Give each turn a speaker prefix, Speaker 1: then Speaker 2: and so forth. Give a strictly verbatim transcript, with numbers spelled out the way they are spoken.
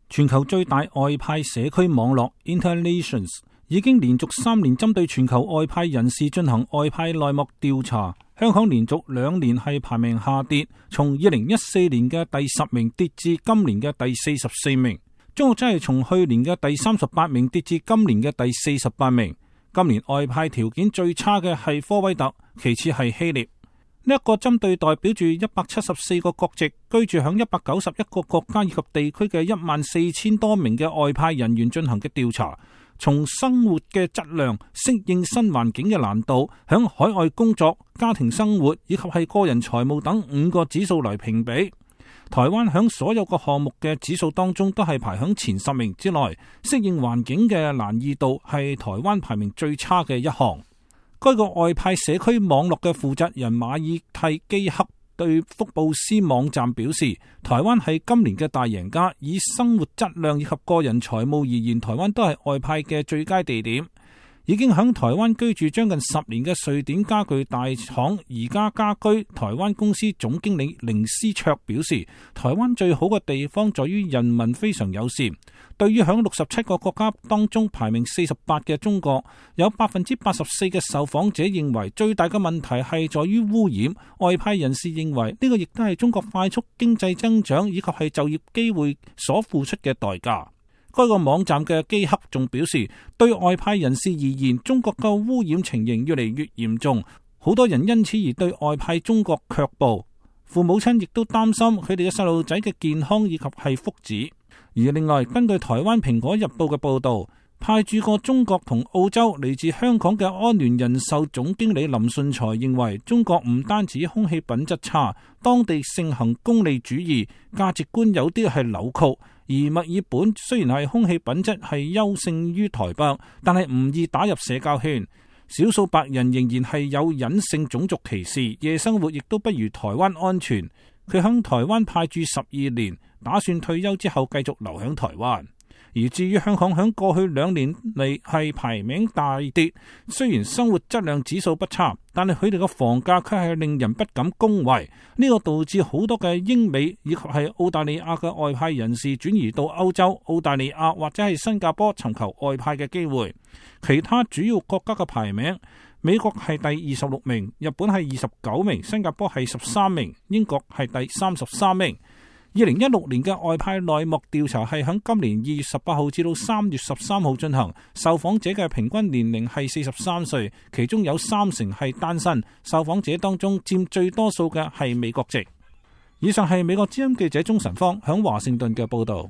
Speaker 1: 全球最大外派社區網絡 Internations 已經連續三年針對全球外派人士進行外派內幕調查。香港連續兩年係排名下跌，從二零一四年嘅第十名跌至今年嘅第四十四名。中國真係從去年嘅第三十八名跌至今年嘅第四十八名。今年外派條件最差嘅係科威特，其次係希臘。呢一個針對代表住一百七十四個國籍、居住響一百九十一個國家以及地區嘅一萬四千多名嘅外派人員進行嘅調查，從生活嘅質量、適應新環境嘅難度、響海外工作、家庭生活以及係個人財務等五個指數來評比。台灣響所有個項目嘅指數當中都係排響前十名之內，適應環境嘅難易度係台灣排名最差嘅一項。該個外派社區網絡嘅負責人馬爾蒂基克對福布斯網站表示，台灣係今年嘅大贏家，以生活質量以及個人財務而言，台灣都係外派嘅最佳地點。已經喺台灣居住將近十年嘅瑞典家具大廠宜家家居台灣公司總經理凌思卓表示，台灣最好嘅地方在於人民非常友善。對於響六十七個國家當中排名四十八嘅中國，有百分之八十四嘅受訪者認為最大嘅問題係在於污染。外派人士認為呢個亦都係中國快速經濟增長以及係就業機會所付出嘅代價。該個網站嘅基克仲表示，對外派人士而言，中國嘅污染情形越嚟越嚴重，好多人因此而對外派中國卻步。父母親亦都擔心佢哋嘅細路仔嘅健康以及係福祉。而另外，根據台灣蘋果日報嘅報道，派駐過中國同澳洲嚟自香港嘅安聯人壽總經理林順才認為，中國唔單止空氣品質差，當地盛行功利主義，價值觀有啲係扭曲。而墨爾本雖然係空氣品質係優勝於台北，但係唔易打入社交圈。少數白人仍然係有隱性種族歧視，夜生活亦都不如台灣安全。佢響台灣派駐十二年，打算退休之後繼續留響台灣。而至於香港響過去兩年嚟係排名大跌，雖然生活質量指數不差，但係佢哋嘅房價卻係令人不敢恭維。呢個導致好多嘅英美以及係澳大利亞嘅外派人士轉移到歐洲、澳大利亞或者係新加坡尋求外派嘅機會。其他主要國家嘅排名，美國係第二十六名，日本係二十九名，新加坡係十三名，英國係第三十三名。二零一六年嘅外派內幕調查係喺今年二月十八號至到三月十三號進行，受訪者嘅平均年齡係四十三歲，其中有三成係單身。受訪者當中佔最多數嘅係美國籍。以上係美國之音記者鍾晨芳喺華盛頓嘅報道。